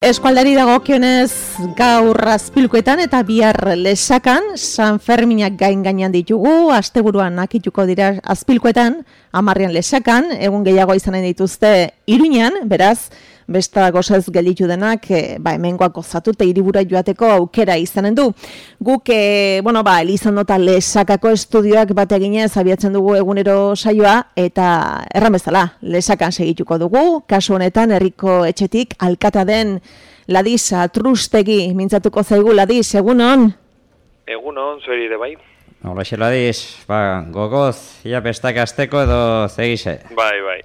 Eskualdari dagokionez gaur Azpilkuetan eta bihar Lesakan San Ferminak gainean ditugu, asteburuan akituko dira Azpilkuetan, 10 Lesakan, egun gehiago izanen dituzte Iruñan, beraz, besta gozez gelditu denak, hemengoak gozatu eta hiribura joateko aukera izanen du. Guk, Elizando eta Lesakako estudioak bat eginez abiatzen dugu egunero saioa, eta erran bezala, Lesakan segituko dugu, kasu honetan herriko etxetik alkata den Ladiz Atrustegi mintzatuko zaigu. Ladiz, egunon? Egunon, zueri ere bai. Horrexe, Ladiz, gogoz, ia bestak azteko edo zegize? Bai.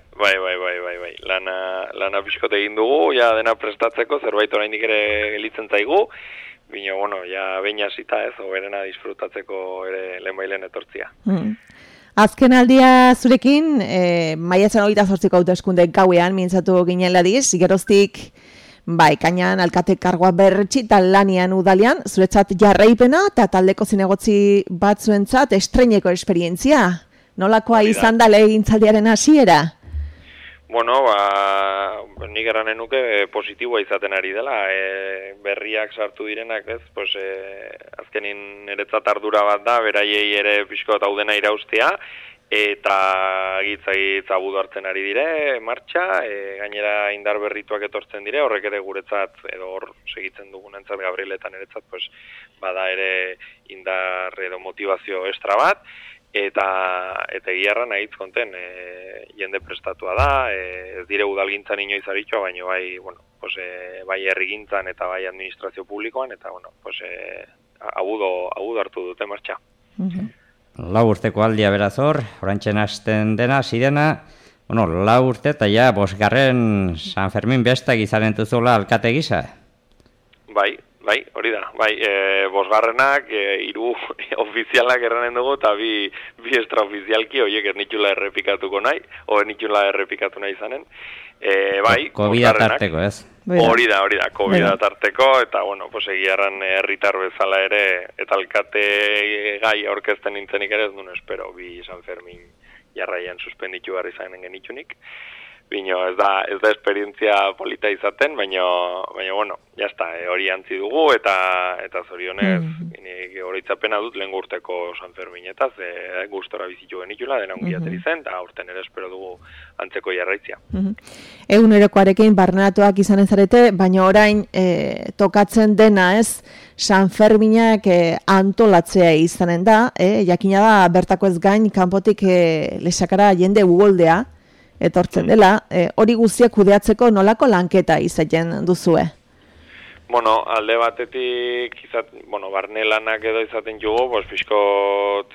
Lana pixkot egin dugu, ja dena prestatzeko, zerbait oraindik ere gelitzen zaigu, baina, ja behin hasita ez, oberena disfrutatzeko ere lehenbailen etortzia. Azken aldia zurekin, maiatzen 28ko hauteskunde gauean mintzatu ginen Ladiz, geroztik kainan alkate kargoa berretsi eta lanian udalian, zuretzat jarraipena eta taldeko zinegotzi batzuentzat estreineko esperientzia. Nolakoa izan da legegintzaldiaren hasiera? Nik eranen nuke positiboa izaten ari dela. Berriak sartu direnak, ez? Azkenin niretzat ardura bat da, beraiei ere pixko eta udena iraustea, eta gitz abudu hartzen ari dire, martxa, gainera indar berrituak etortzen dire, horrek ere guretzat, edo hor segitzen dugunentzat Gabrieletan eretzat, bada ere indar edo motivazio extra bat, eta egiarra nahitz konten, jende prestatua da, ez dire udalgintzan inoiz aritxoa, baina bai herrigintzan eta bai administrazio publikoan, eta abudu hartu dute martxa. 4 urteko aldia beraz hor, orantxen hasten dena, zirena, 4 urte eta ja, 5. San Fermin bestak izanen duzuela alkate gisa? Bai, hori da. 5. 3 ofizialak erranen dugu, eta bi extraofizialki, horiek ez nitxula errepikatuko nahi, nitxula errepikatu nahi izanen. Covid tarteko, ez? Hori da, Covid tarteko, eta, egiarran herritar bezala ere, eta alkate gai aurkezten nintzenik ere, ez duen espero, bi San Fermin jarraian suspenditu barri zanen genitxunik. Bino, ez da esperientzia polita izaten, baina jazta, hori antzi dugu, eta zorionez, horitzapena dut lehen urteko San Ferminetaz, gustora bizitu genitula, dena ongiateri zen, eta aurten ere espero dugu antzeko jarraitzia. Egunerokoarekin barneratuak izan ezarete, baina orain tokatzen dena ez, San Ferminak antolatzea izanen da, jakina da, bertako ez gain, kanpotik Lesakara jende ugoldea, etortzen dela, hori guztiak kudeatzeko nolako lanketa izaten duzue? Alde batetik, barne lanak edo izaten jugu, pixkot,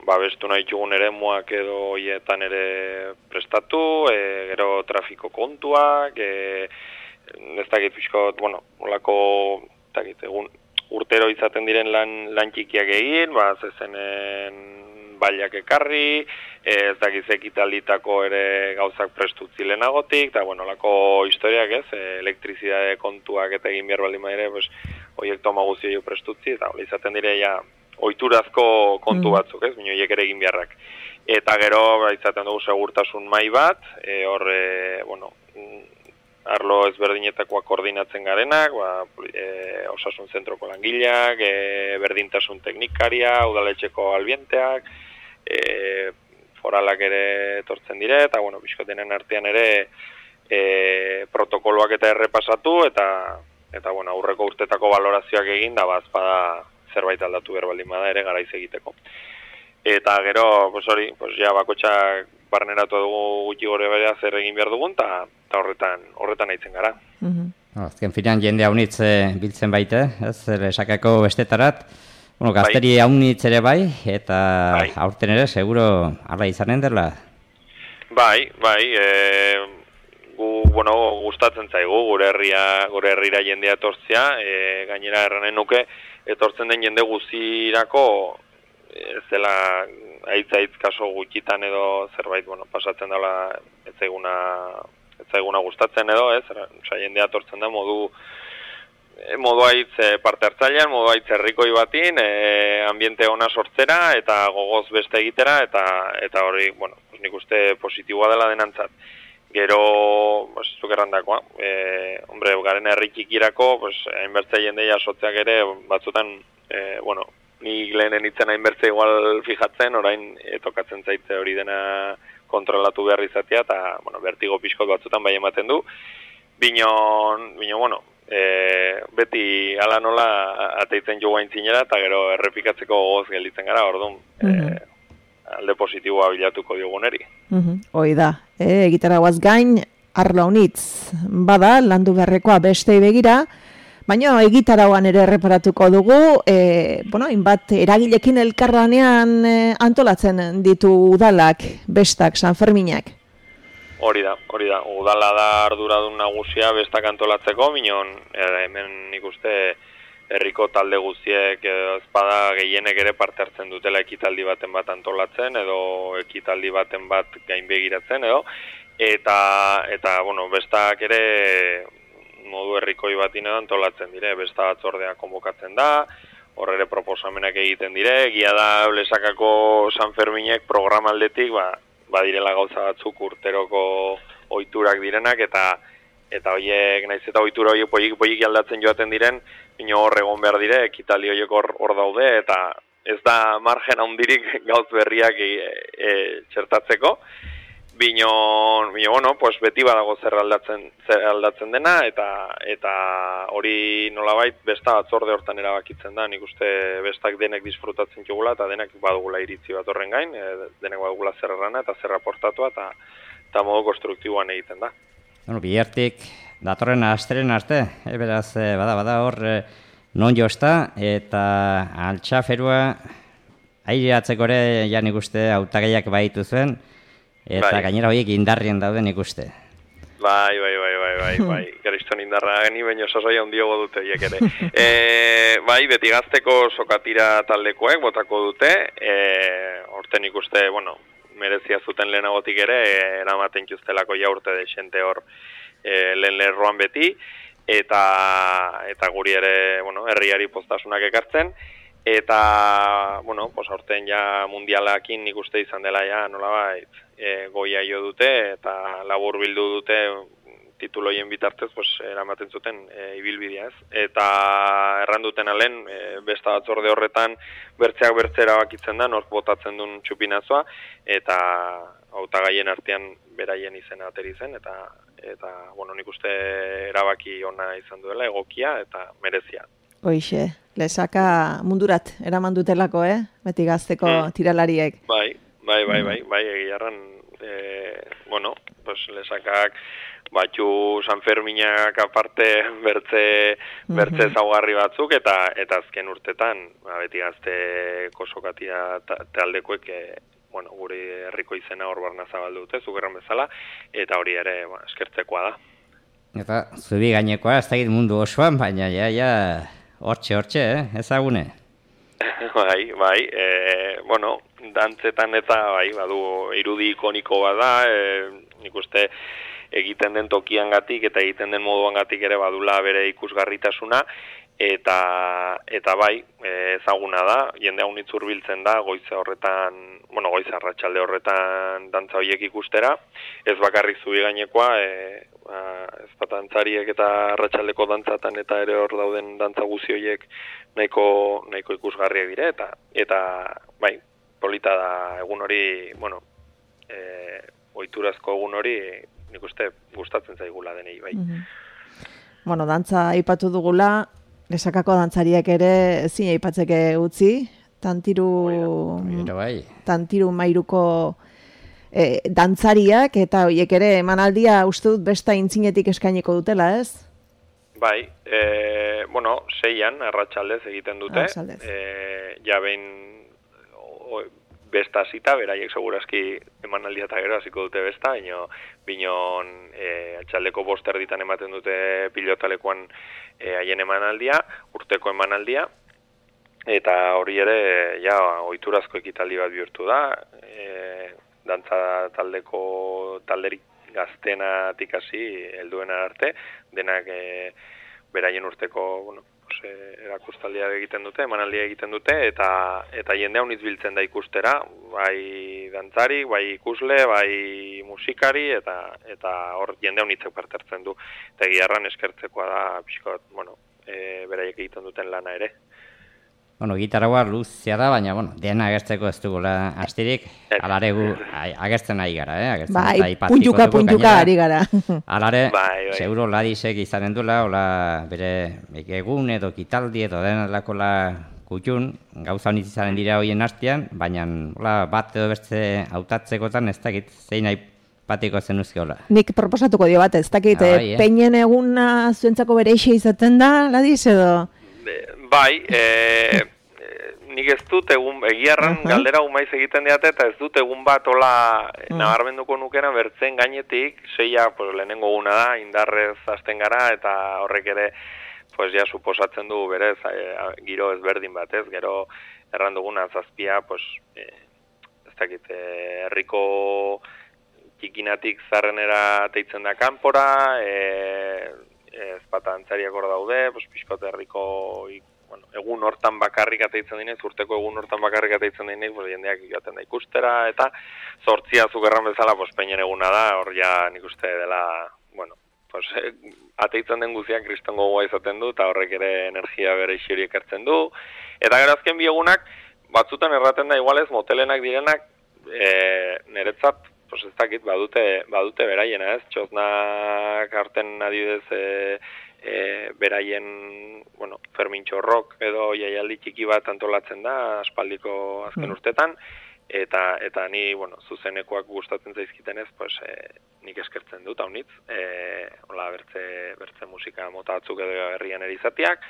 babestu nahi jugun ere muak edo hietan ere prestatu, gero trafiko kontuak, ez dakit pixkot, olako, urtero izaten diren lan txikiak egin, zezenen bailak ekarri, ez dakiz ekitalditako ere gauzak prestutzi lehenagotik, eta lako historiak ez, elektrizidade kontuak eta egin behar baldin ere, horiek toma guzio prestutzi, eta izaten dire ohiturazko kontu batzuk, ez, horiek ere egin beharrak. Eta gero, izaten dugu segurtasun mai bat, arlo ezberdinetakoak koordinatzen garenak, osasun zentroko langileak, berdintasun teknikaria, udaletxeko albienteak, foralak ere etortzen dire, eta, bizkotenen artean ere protokoloak eta errepasatu, eta aurreko urtetako balorazioak egin, da bazpada zerbait aldatu behar baldin bada ere garaiz egiteko. Eta gero, bakotxak barneratu dugu gutxi gore berea zer egin behar dugun, eta horretan aitzen gara. Azken finean jende haunitz biltzen baite, ez, Lesakako bestetarat, gazteri haunitz ere bai, eta aurten ere, seguro, ala izanen dela? Gustatzen zaigu, gure herrira jendea etortzea, gainera erranen nuke, etortzen den jende guzirako, ez dela aitz kaso gutxitan edo zerbait, pasatzen dela ez zaiguna gustatzen edo, ez, jendea etortzen da modu aitz parte hartzailean, modu aitz herrikoi batin, ambiente ona sortzera eta gogoz beste egitera, eta hori, nik uste positiboa dela denantzat. Gero, zuk errandakoa, hombre, garen herri txikirako, hainbertze jende jasotzeak ere, batzutan, ni lehenen itzen hainbertze igual fijatzen, orain tokatzen zaitze hori dena kontrolatu behar izatea, eta, vertigo pixkot batzutan bai ematen du. Bino, beti ala nola ateitzen jo gaintzinera, eta gero errepikatzeko gogoz gelditzen gara, orduan, alde positiboa bilatuko dioguneri. Hoi da, egitaragoaz gain, arlo honitz, bada, landu beharrekoa bestei begira, baina egitaragoan ere erreparatuko dugu, inbat eragilekin elkarranean antolatzen ditu udalak, bestak, Sanferminak. Hori da, udala da arduradun nagusia bestak antolatzeko, minon hemen nik uste herriko talde guztiek edo ezpada gehienek ere parte hartzen dutela ekitaldi baten bat antolatzen edo ekitaldi baten bat gainbegiratzen edo eta bestak ere modu herrikoi batin edo antolatzen dire, besta batzordea konbokatzen da, hor ere proposamenak egiten dire, egia da Lesakako Sanferminek programaldetik badirela gauza batzuk urteroko ohiturak direnak eta horiek naiz eta ohitura horiek poik aldatzen joaten diren, bino hor egon behar dire, ekitaldi horiek hor daude, eta ez da margen handirik gauz berriak txertatzeko. Bino, beti badago zer aldatzen dena, eta hori nolabait besta batzorde hortan erabakitzen da, nik uste bestak denek disfrutatzen jugula, eta denek badugula iritzi bat horren gain, denek badugula zer errana eta zer aportatua, eta modu konstruktiboan egiten da. Bihartik datorren asteren arte, beraz, bada hor non josta, eta altxaferua aireatzeko ere nik uste hautagaiak baitu zuen, eta gainera horiek indarrien dauden ikuste. Bai, gariston indarra gani, baina sasoia ondiogo dute horiek ere. Beti gazteko sokatira taldekoek botako dute, horten ikuste, merezia zuten lehenagotik ere, eramaten justelako jaurte desente hor lehen lerroan beti, eta guri ere, herriari postasunak ekartzen, eta, aurten ja mundialakin nik uste izan dela ja, nolabait, goia jo dute, eta labur bildu dute tituloien bitartez, eramaten zuten ibilbidea ez. Eta erranduten alen, besta batzorde horretan, bertzeak bertzera bakitzen da, nork botatzen duen txupinazoa, eta hautagaien artean beraien izena ateri zen, eta nik uste erabaki ona izan duela, egokia eta merezia. Hoixe, Lesaka mundurat eraman dutelako, beti gazteko tiralariek. Bai, egiarran, Lesakak batxu Sanferminak aparte bertze zaugarri batzuk, eta azken urtetan, beti gazteko sokatia taldekoek, guri herriko izena hor barna zabaldu dute, zugerran bezala, eta hori ere eskertzekoa da. Eta zubi gainekoa, ez dakit mundu osoan, baina hortxe, ezagune? Bai, dantzetan eta badu irudi ikoniko bada, nik uste egiten den tokiangatik eta egiten den moduangatik ere badula bere ikusgarritasuna, eta bai, ezaguna da, jende haunitz hurbiltzen da, goiza arratsalde horretan dantza horiek ikustera, ez bakarrik zubi gainekoa, ezpatantzariek eta arratsaldeko dantzatan eta ere hor dauden dantza guzi horiek nahiko ikusgarriak dire, eta bai, polita da egun hori, ohiturazko egun hori, nik uste gustatzen zaigula denei, bai. Dantza aipatu dugula, Lesakako dantzariak ere ezin aipatzeke utzi, tantiru mairuko dantzariak, eta horiek ere emanaldia uste dut besta intzinetik eskainiko dutela, ez? Bai, 6an arratsaldez egiten dute, ja behin besta zita, beraiek segurazki emanaldia eta gero hasiko dute besta, binon atxaldeko 5 erditan ematen dute pilotalekoan haien emanaldia, urteko emanaldia, eta hori ere ohiturazko ekitaldi bat bihurtu da, dantza talderik gaztenatik hasi helduena arte, denak beraien urteko, bueno, erakustaldia egiten dute, emanaldia egiten dute, eta jende haunitz biltzen da ikustera, bai dantzari, bai ikusle, bai musikari, eta hor jende haunitzek parte hartzen du. Eta egiarran eskertzekoa da, pixkot, bueno, beraiek egiten duten lana ere. Bueno, gitarra luzea da, baina, bueno, dena agertzeko ez dugula astirik, alare gu agertzen ari gara, Bai, puntuka ari gara. Alare, seguro ladisek izanen dula, hola, bere egun edo kitaldi edo denalakola kutxun, gauza honitz izanen dira hoien hastian, baina, hola, bat edo beste hautatzekotan ez dakit, zein nahi patiko zen uzke hola. Nik proposatuko dio bat, ez dakit, peinen eguna zuentzako bere eixe izaten da, ladis edo... Bai, nik ez dut egiarran galdera umaiz egiten diate, eta ez dut egun bat hola nabarmenduko nukena bertzen gainetik, seia lehenengo guna da, indarrez hasten gara, eta horrek ere, ja suposatzen du berez, giro ezberdin bat ez, gero erran duguna zazpia, ez dakit, herriko txikinatik zarrenera teitzen da kanpora, ezpata antzariak hor daude, pixkote herriko egun hortan bakarrik ateitzen dinez, urteko egun hortan bakarrik ateitzen dinez, jendeak joaten da ikustera, eta zortzia zugerran bezala, peinen eguna da, hor ja nik uste dela, bueno, ateitzen den guziak kristongo goa izaten du, eta horrek ere energia bere isuri ekartzen du, eta gero azken bi egunak, batzutan erraten da igualez, motelenak direnak, niretzat, ez dakit, badute beraiena ez, txosnak harten adibidez beraien, bueno, Fermin Txorrok edo jaialdi txiki bat antolatzen da, aspaldiko azken urtetan, eta ni, bueno, zuzenekoak gustatzen zaizkitenez, nik eskertzen dut, haunitz, hola, bertze musika mota batzuk edo herrian erizatiak,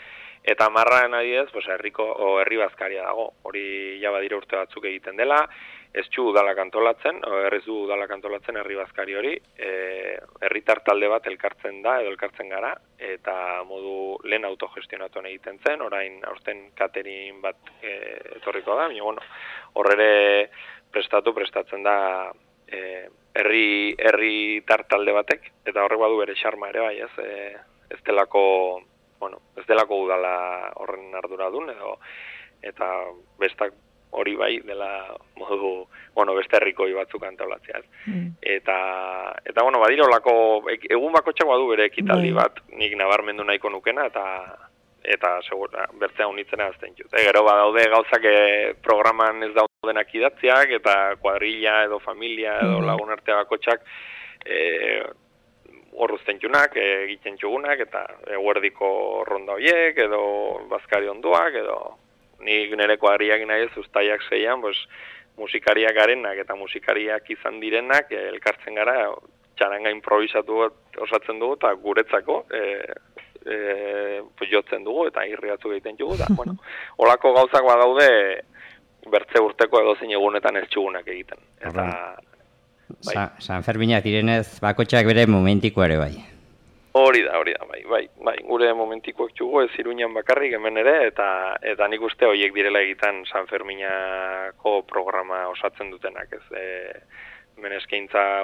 eta marraen adibidez, herri bazkaria dago, hori ja badira urte batzuk egiten dela, ez txu udalak antolatzen, errez du udalak antolatzen herri bazkari hori, herritar talde bat elkartzen da, edo elkartzen gara, eta modu lehen autogestionatuan egiten zen, orain aurten catering bat etorriko da, baina, bueno, horrere prestatzen da herritar talde batek, eta horrek badu bere xarma ere bai, ez delako udala horren arduradun, eta bestak hori bai dela modu, bueno, beste herrikoi batzuk antolatzea. Eta bueno, badira olako, egun bakotxak badu bere ekitaldi bat, nik nabarmendu nahiko nukena, eta segura, bertzea unitzena azten jut. Gero badaude gauzak programan ez daudenak idatziak, eta kuadrilla edo familia edo lagun artea bakotxak horruzten junak, egiten txugunak, eta eguerdiko ronda horiek, edo bazkari onduak, edo nik nire kuadriak nahi ez ustaiak zeian, musikariak garenak eta musikariak izan direnak elkartzen gara, txaranga improvisatu osatzen dugu, eta guretzako jotzen dugu, eta irriatu egiten dugu, da, bueno, olako gauzak badaude bertze urteko edozein egunetan ez txugunak egiten. Eta San Ferminak direnez, bakotxak bere momentiko ere bai. Hori da, bai, gure momentikoak txugu ez Iruñan bakarrik hemen ere, eta nik uste horiek direla egiten San Ferminako programa osatzen dutenak, ez, hemen eskaintza,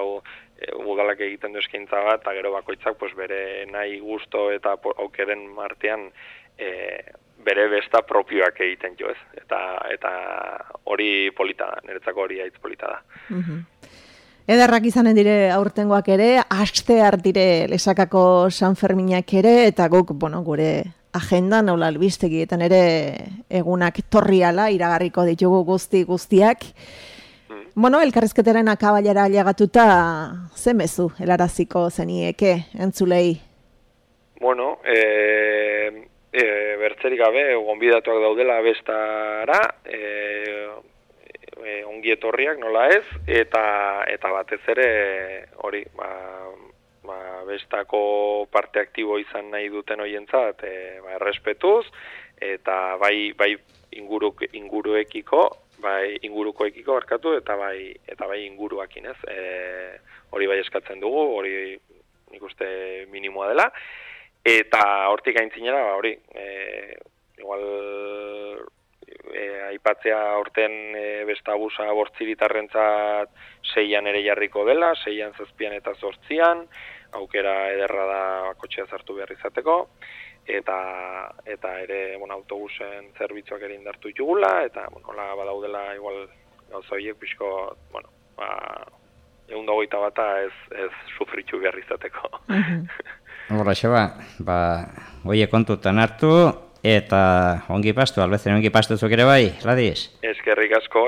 udalak egiten du eskaintza bat, eta gero bakoitzak bere nahi gusto eta aukeren artean bere besta propioak egiten jo, ez, eta hori polita da, niretzako hori haitz polita da. Ederrak izanen dire aurtengoak ere, aste hartire Lesakako San Ferminak ere, eta guk, bueno, gure agenda nola albistegietan ere egunak torriala, iragarriko ditugu guztiak. Bueno, elkarrizketaren akabailera ailegatuta, ze mezu helaraziko zenieke, entzulei? Bueno, bertzerik gabe, gonbidatuak daudela bestara, ongi etorriak nola ez, eta batez ere hori, bestako parte aktibo izan nahi duten hoientzat, errespetuz, eta bai ingurukoekiko barkatu, eta bai inguruakin ez, hori bai eskatzen dugu, hori nik uste minimoa dela, eta hortik aintzinera, hori, igual aipatzea horten bestabusa bortziritarrentzat 6an ere jarriko dela, 6an, 7an eta 8an, aukera ederra da bakotxea sartu behar izateko, eta ere, autobusen zerbitzuak ere indartu ditugula, eta, badaudela igual gauza horiek pixko, 120 bata ez sufritu behar izateko. Horra, oie kontutan hartu, eta ongi pastu, albezen ongi pastuzuk ere bai, Gladys? Eskerrik asko,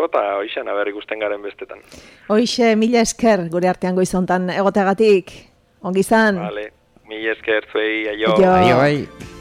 eta hoixan, aber ikusten garen bestetan. Hoixe, mila esker gure artean goizontan egoteagatik, ongi izan. Vale, mila esker zuei, aio. Aio bai.